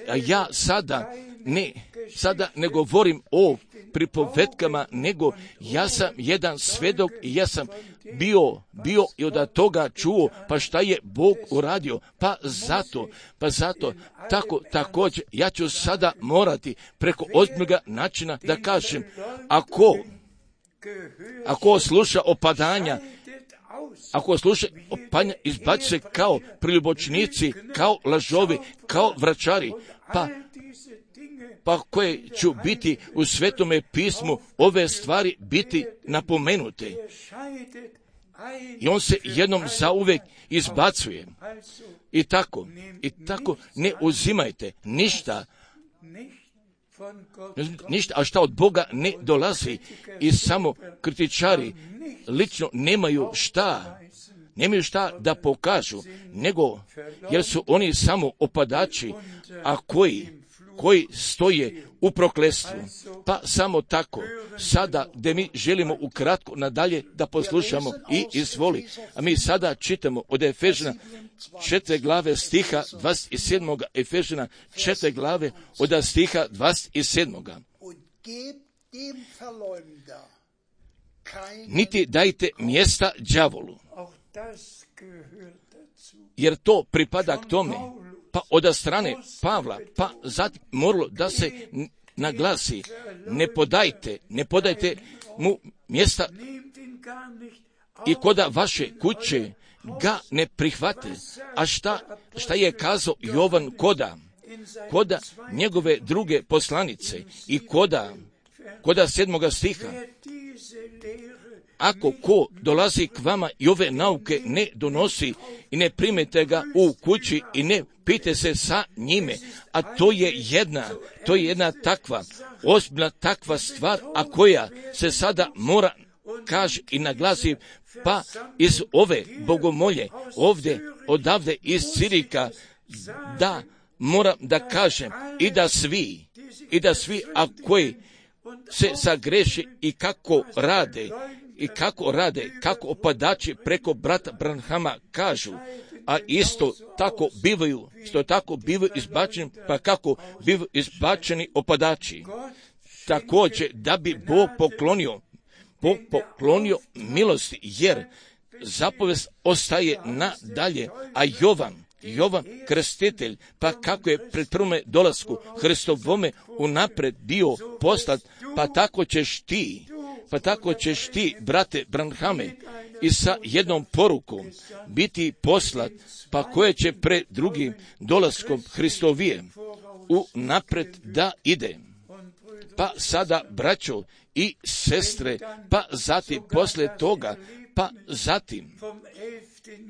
A ja sada ne, sada ne govorim o pripovetkama, nego ja sam jedan svedok i ja sam bio, bio i od toga čuo, pa šta je Bog uradio, pa zato, pa zato, tako, također, ja ću sada morati preko ozbiljnoga načina da kažem, ako, ako sluša opadanja, ako sluša opadanja, izbaci se kao priljubočnici, kao lažovi, kao vračari, pa pa koje ću biti u Svetome pismu ove stvari biti napomenute. I on se jednom zauvek izbacuje. I tako, i tako ne uzimajte ništa ništa, a šta od Boga ne dolazi i samo kritičari lično nemaju šta, nemaju šta da pokažu, nego jer su oni samo opadači, a koji, koji stoje u prokletstvu. Pa samo tako, sada gdje mi želimo ukratko nadalje da poslušamo i izvoli. A mi sada čitamo od Efežana četiri glave stiha dvadeset sedam. Efežana četiri glave od stiha dvadeset sedam. Niti dajte mjesta đavolu, jer to pripada k tome. Pa od strane Pavla, pa zatim moralo da se naglasi, ne podajte, ne podajte mu mjesta i koda vaše kuće ga ne prihvate. A šta, šta je kazao Jovan koda, koda njegove druge poslanice i koda, koda sedmoga stiha? Ako ko dolazi k vama i ove nauke ne donosi i ne primete ga u kući i ne pite se sa njime, a to je jedna, to je jedna takva, ozbiljna takva stvar, a koja se sada mora kaže i naglasi, pa iz ove bogomolje, ovdje, odavde iz Cirika, da moram da kažem i da svi, i da svi, a koji se sagreši i kako rade, i kako rade, kako opadači preko brata Branhama kažu, a isto tako bivaju, isto tako bivaju izbačeni, pa kako bivaju izbačeni opadači. Također, da bi Bog poklonio, Bog poklonio milosti, jer zapovest ostaje nadalje, a Jovan, Jovan krstitelj, pa kako je pred prvome dolasku Hristovome unapred bio poslat, pa tako ćeš ti, pa tako ćeš ti, brate Branhame, i sa jednom porukom biti poslat, pa koje će pred drugim dolaskom Hristovije unapred da ide. Pa sada, braćo i sestre, pa zatim posle toga, pa zatim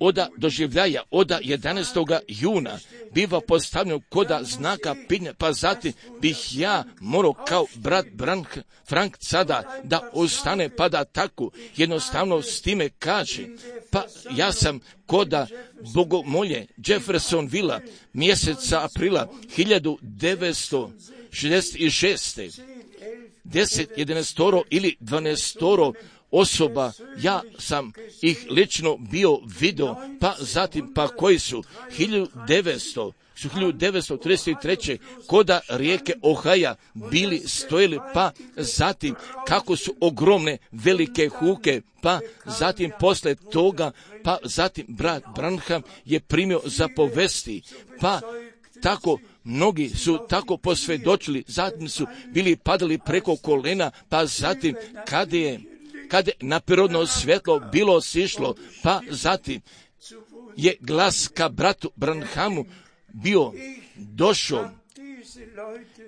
oda doživljaja, oda jedanaestog juna biva postavljeno koda znaka pitanja, pa zatim bih ja morao kao brat Brank, Frank sada da ostane, pa da tako jednostavno s time kaže, pa ja sam koda bogomolje Jeffersonvilla mjeseca aprila hiljadu devetsto šezdeset šeste. deset, jedanaestoro ili dvanaestoro osoba, ja sam ih lično bio vidio, pa zatim, pa koji su hiljadu devetsto, su hiljadu devetsto trideset treće koda rijeke Ohaja bili stojili, pa zatim kako su ogromne velike huke, pa zatim posle toga, pa zatim brat Branham je primio zapovesti, pa tako mnogi su tako posvjedočili, zatim su bili padali preko kolena, pa zatim kada je kad je naprirodno svjetlo bilo sišlo, pa zatim je glas ka bratu Branhamu bio došao.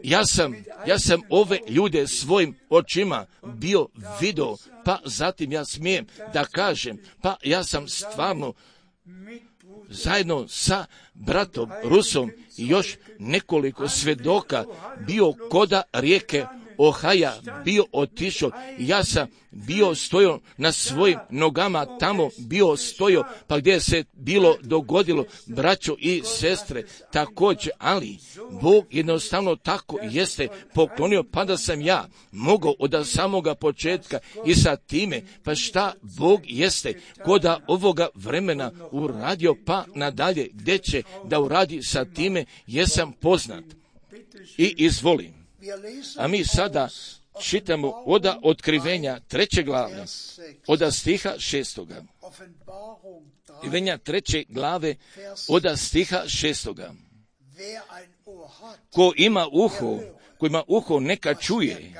Ja sam, ja sam ove ljude svojim očima bio vidio, pa zatim ja smijem da kažem, pa ja sam stvarno zajedno sa bratom Rusom i još nekoliko svjedoka bio koda rijeke Ohaja, bio otišao, ja sam bio stojao na svojim nogama, tamo bio stojao, pa gdje se bilo dogodilo, braćo i sestre, također, ali Bog jednostavno tako jeste poklonio, pa da sam ja mogao od samoga početka i sa time, pa šta Bog jeste koda ovoga vremena uradio, pa nadalje, gdje će da uradi sa time, jesam poznat. I izvolim. A mi sada čitamo oda otkrivenja treće glave, oda stiha šestoga. Otkrivenja treće glave, oda stiha šestoga. Ko ima uho, ko ima uho, neka čuje,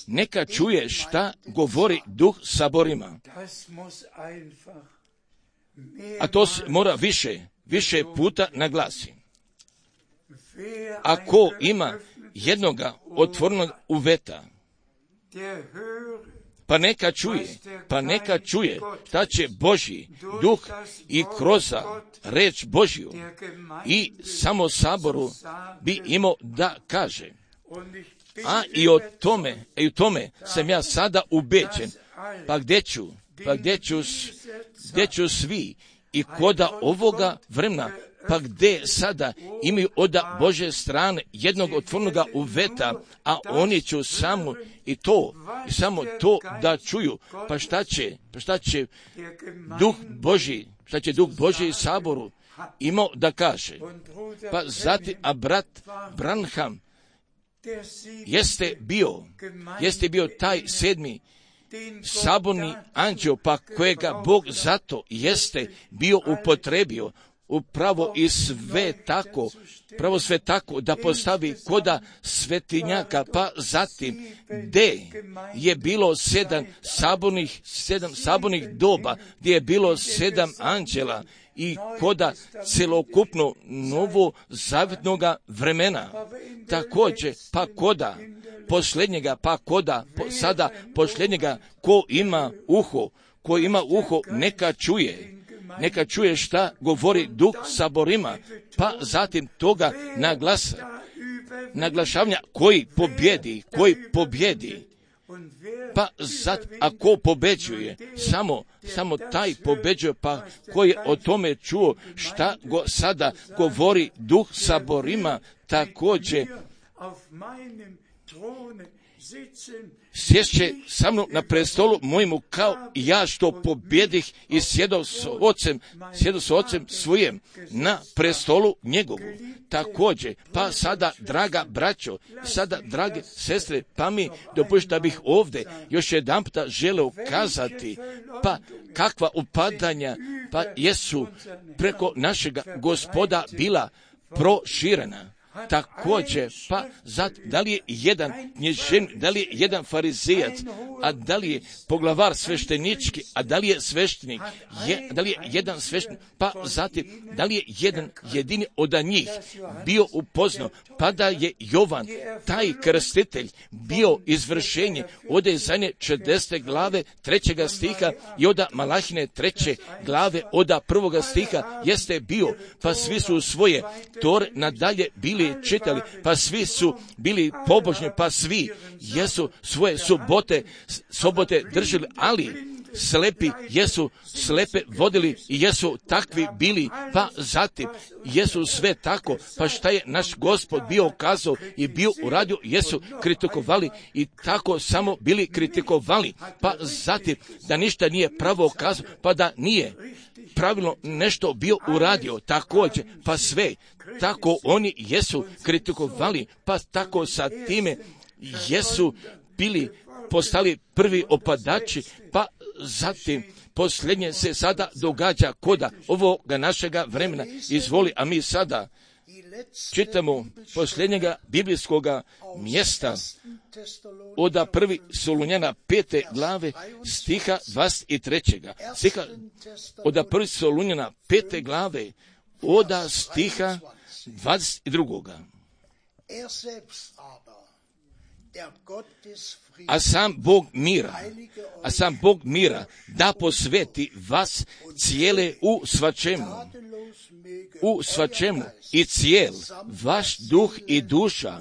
neka čuje šta govori duh saborima. A to mora više, više puta naglasi. A ko ima jednoga otvornog uveta, pa neka čuje, pa neka čuje šta će Božji duh i kroz reč Božju i samo saboru bi imao da kaže. A i o tome, i u tome sam ja sada ubeđen. Pa gdje ću, pa gdje ću, gdje ću svi i koda ovoga vremena, pa gdje sada imaju od Bože strane jednog otvornoga uveta, a oni će samo i to, i samo to da čuju. Pa šta će, pa šta će Duh Božji, šta će Duh Božji saboru imao da kaže? Pa zatim, a brat Branham jeste bio, jeste bio taj sedmi saborni anđeo, pa kojega Bog zato jeste bio upotrebio upravo i sve tako, pravo sve tako da postavi koda svetinjaka, pa zatim gdje je bilo sedam sabornih, sedam sabornih doba, gdje je bilo sedam anđela i koda celokupno novo zavjetnoga vremena. Također, pa koda posljednjega, pa koda po, sada posljednjega, ko ima uho, ko ima uho, neka čuje. Neka čuje šta govori Duh saborima, pa zatim toga naglasa, naglašavanja koji pobjedi, koji pobjedi. Pa zat, a ko pobeđuje, samo, samo taj pobeđuje, pa koji je o tome čuo šta go sada govori Duh saborima, također sješće sa mnom na prestolu mojemu kao i ja što pobjedih i sjedao s ocem, sjedao s ocem svojem na prestolu njegovu. Također, pa sada, draga braćo, sada, drage sestre, pa mi dopustite da bih ovdje još jedan puta želeo kazati, pa kakva upadanja, pa jesu preko našega Gospoda bila proširena. Također, pa zat, da li je jedan knježen, da li je jedan farizejac, a da li je poglavar sveštenički, a da li je sveštenik, je, da li je jedan sveštenik, pa zatim, da li je jedan jedini od njih bio upoznao, pa da je Jovan, taj krstitelj, bio izvršenje od Ezajne čedesete glave trećega stiha i od Malahine treće glave od prvoga stiha jeste bio, pa svi su svoje tore nadalje bili čitali, pa svi su bili pobožni, pa svi jesu svoje subote, sobote držali, ali slepi jesu slepe vodili i jesu takvi bili, pa zatim jesu sve tako, pa šta je naš Gospod bio kazao i bio uradio, jesu kritikovali i tako samo bili kritikovali, pa zatim da ništa nije pravo kazao, pa da nije pravilno nešto bio uradio, također, pa sve tako oni jesu kritikovali, pa tako sa time jesu bili postali prvi opadači, pa zatim posljednje se sada događa koda ovoga našega vremena. Izvoli, a mi sada čitamo posljednjega biblijskoga mjesta od prvi Solunjana pete glave stiha dvadeset trećega. Stiha od prvi Solunjana pete glave od stiha dvadeset drugoga. A sam Bog mira, a sam Bog mira da posveti vas cijele u svačemu, u svačemu i cijel vaš duh i duša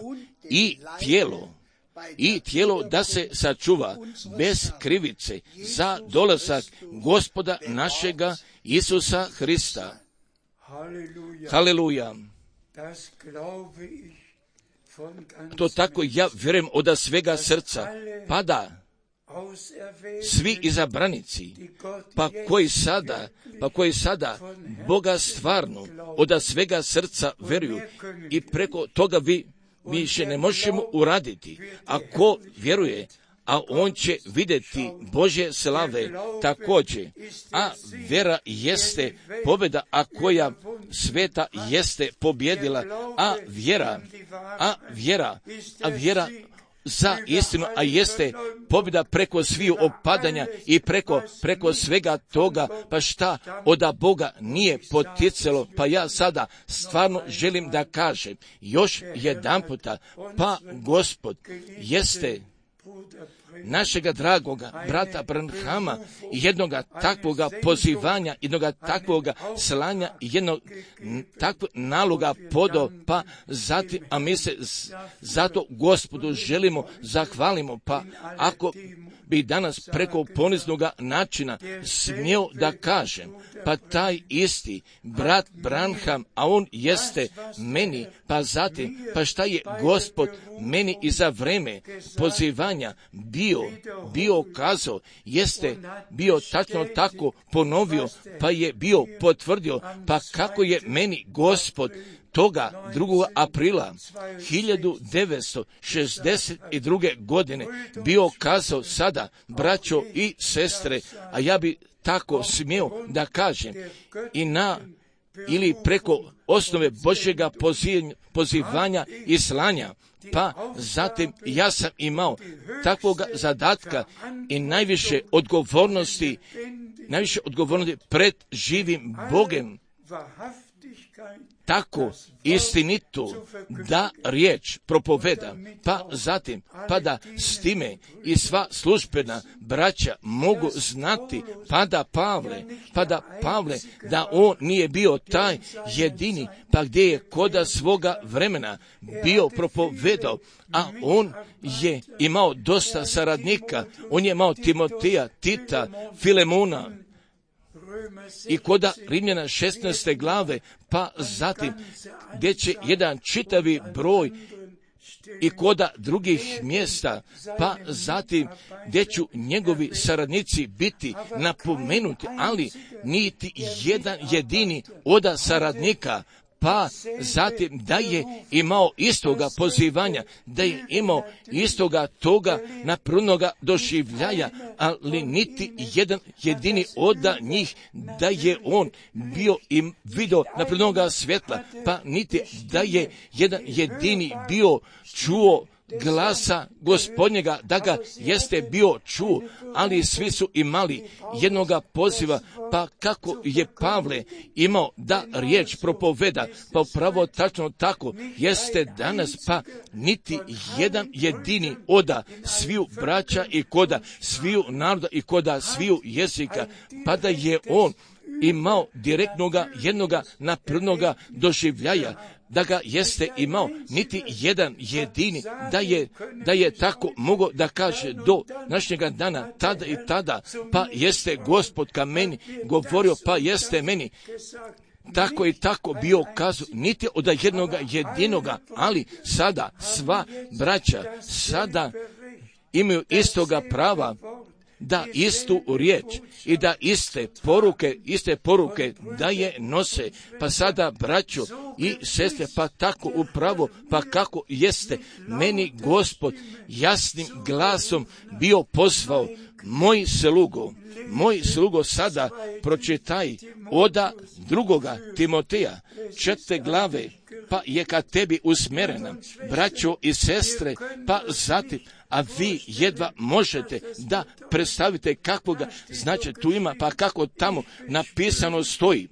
i tijelo, i tijelo da se sačuva bez krivice za dolazak Gospoda našega Isusa Hrista. Haleluja. To tako ja vjerujem od svega srca, pa da svi izabranici, pa koji sada, pa koji sada Boga stvarno od svega srca vjeruju i preko toga vi više ne možemo uraditi. Ako vjeruje, a on će vidjeti Božje slave također. A vjera jeste pobjeda, a koja sveta jeste pobjedila, a vjera, a vjera, a vjera za istinu, a jeste pobjeda preko sviju opadanja i preko, preko svega toga, pa šta od Boga nije poticalo, pa ja sada stvarno želim da kažem još jedan puta, pa Gospod jeste našega dragoga brata Branhama, jednoga takvoga pozivanja, jednoga takvoga slanja, jednog takvog naloga podo, pa zatim, a mi se zato Gospodu želimo zahvalimo, pa ako bi danas preko poniznoga načina smio da kažem, pa taj isti brat Branham, a on jeste meni, pa zatim, pa šta je Gospod meni i za vreme pozivanja bio, bio kazao, jeste bio tačno tako ponovio, pa je bio potvrdio, pa kako je meni Gospod toga drugog aprila hiljadu devetsto šezdeset druge. godine bio kazao sada, braćo i sestre, a ja bi tako smio da kažem, i na ili preko osnove Božjega pozivanja i slanja, pa zatim ja sam imao takvoga zadatka i najviše odgovornosti, najviše odgovornosti pred živim Bogem, tako istinitu da riječ propoveda, pa zatim, pa da s time i sva službena braća mogu znati, pa da Pavle, pa da Pavle, da on nije bio taj jedini, pa gdje je koda svoga vremena bio propovedao, a on je imao dosta saradnika, on je imao Timoteja, Tita, Filemona, i koda Rimljana šesnaeste glave, pa zatim gdje će jedan čitavi broj i koda drugih mjesta, pa zatim gdje ću njegovi saradnici biti napomenuti, ali niti jedan jedini oda saradnika, pa zatim da je imao istoga pozivanja, da je imao istoga toga naprudnoga doživljaja, ali niti jedan jedini od njih da je on bio i vidio naprudnoga svjetla, pa niti da je jedan jedini bio čuo glasa Gospodnjega, da ga jeste bio čuo, ali svi su imali jednoga poziva, pa kako je Pavle imao da riječ propoveda, pa upravo tačno tako jeste danas, pa niti jedan jedini oda sviju braća i koda sviju naroda i koda sviju jezika, pa da je on imao direktnoga jednoga naprednoga doživljaja, da ga jeste imao niti jedan jedini, da je, da je tako mogao da kaže do našega dana, tada i tada, pa jeste Gospod ka meni govorio, pa jeste meni tako i tako bio kazao, niti od jednoga jedinoga, ali sada sva braća sada imaju istoga prava da istu riječ i da iste poruke, iste poruke da je nose, pa sada braćo i sestre, pa tako upravo, pa kako jeste meni Gospod jasnim glasom bio pozvao, moj slugo, moj slugo sada pročitaj oda drugoga Timoteja, četvrte glave, pa je ka tebi usmjerena, braćo i sestre, pa zatim, a vi jedva možete da predstavite kakvoga značaja tu ima, pa kako tamo napisano stoji.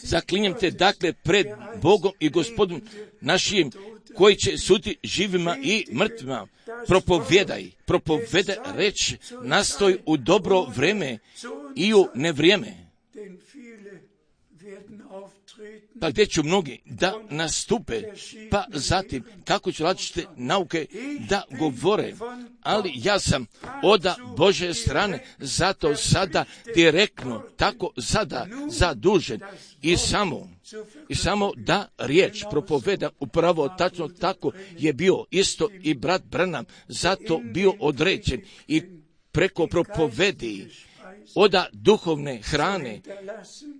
Zaklinjem te dakle pred Bogom i Gospodom našim, koji će suditi živima i mrtvima, propovjedaj, propovjedaj reč, nastoj u dobro vreme i u nevrijeme. Pa gdje ću mnogi da nastupe, pa zatim kako ću različite nauke da govore, ali ja sam oda Božje strane, zato sada direktno, tako sada zadužen i samo, i samo da riječ propoveda upravo tačno tako je bio isto i brat Branham, zato bio određen i preko propovedi oda duhovne hrane,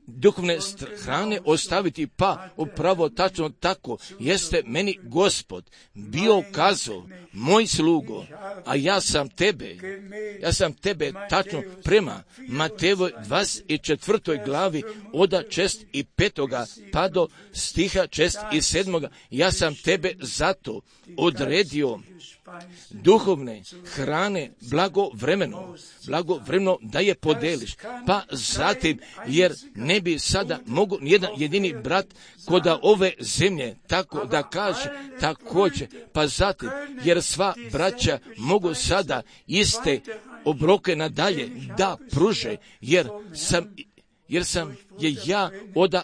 duhovne hrane ostaviti, pa upravo tačno tako jeste meni Gospod bio kazao, moj slugo, a ja sam tebe, ja sam tebe tačno prema Matejevoj dvadeset četvrtoj glavi oda čest i petoga pa do stiha čest i sedmoga, ja sam tebe zato odredio duhovne hrane blagovremeno, blagovremeno da je podeliš, pa zatim jer ne ne bi sada mogu nijedan jedini brat koda ove zemlje tako da kaže također, pa zatim, jer sva braća mogu sada iste obroke nadalje da pruže, jer sam jer sam je ja oda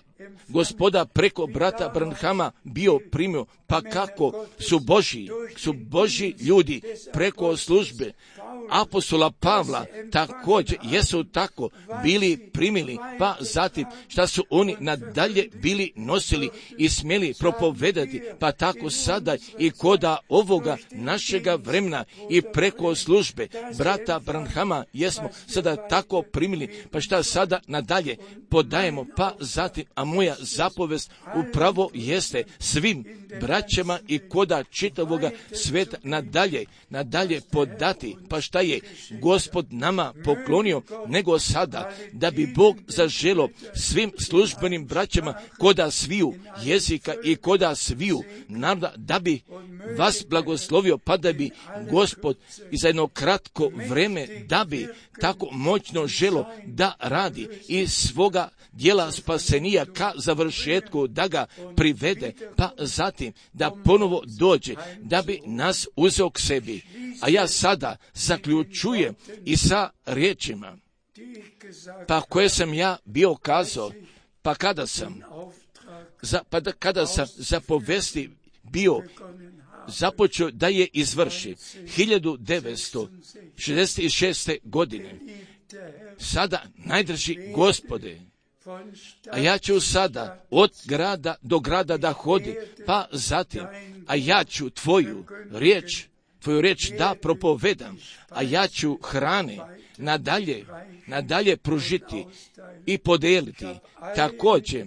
Gospoda preko brata Branhama bio primio, pa kako su Božji, su Božji ljudi preko službe apostola Pavla također jesu tako bili primili, pa zatim šta su oni nadalje bili nosili i smjeli propovedati, pa tako sada i koda ovoga našega vremena i preko službe brata Branhama jesmo sada tako primili, pa šta sada nadalje podajemo, pa zatim, a moja zapovest upravo jeste svim braćama i koda čitavoga sveta nadalje, nadalje podati, pa šta je Gospod nama poklonio, nego sada da bi Bog zaželo svim službenim braćama koda sviju jezika i koda sviju naroda, da bi vas blagoslovio, pa da bi Gospod i za jedno kratko vreme, da bi tako moćno želo da radi i svoga dijela spasenija ka završetku, da ga privede, pa zatim da ponovo dođe, da bi nas uzeo k sebi. A ja sada zaključujem i sa riječima, pa koje sam ja bio kazao, pa kada sam, za, pa da, kada sam za povesti bio započeo da je izvrši hiljadu devetsto šezdeset šeste. godine. Sada, najdrži Gospode, a ja ću sada od grada do grada da hodim, pa zatim, a ja ću tvoju riječ, tvoju riječ da propovedam, a ja ću hrane nadalje, nadalje pružiti i podijeliti. Također,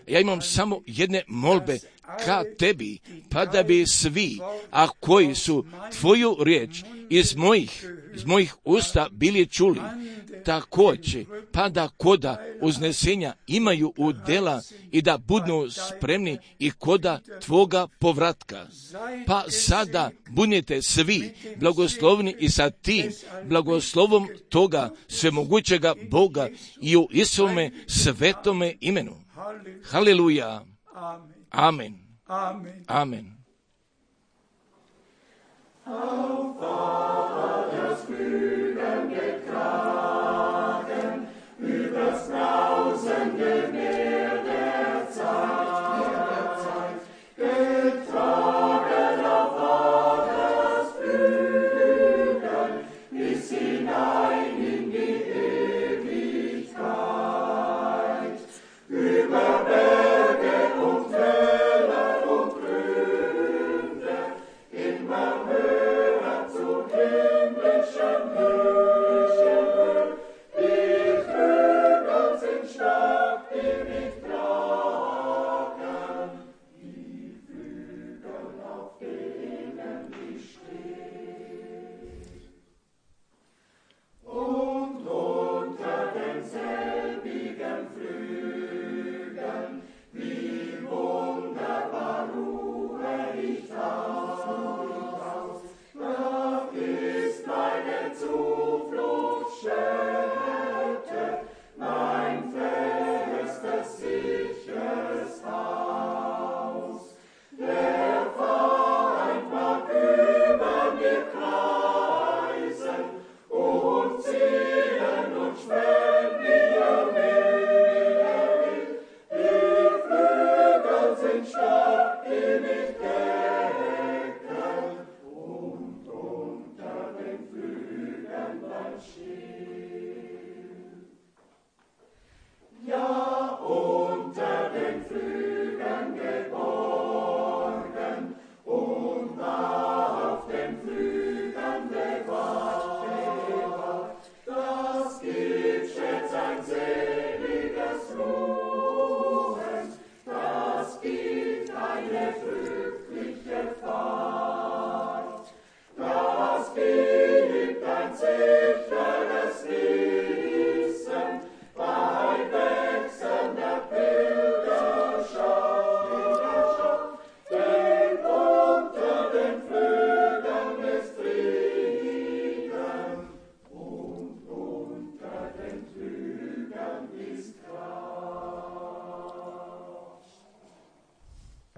ja imam samo jedne molbe ka tebi, pa da bi svi, a koji su tvoju riječ iz mojih, iz mojih usta bili čuli, također, pa da koda uznesenja imaju udjela i da budu spremni i koda tvoga povratka. Pa sada budite svi blagoslovni i sa tim blagoslovom toga svemogućega Boga i u Isome svetome imenu. Haleluja. Amen. Amen. Amen.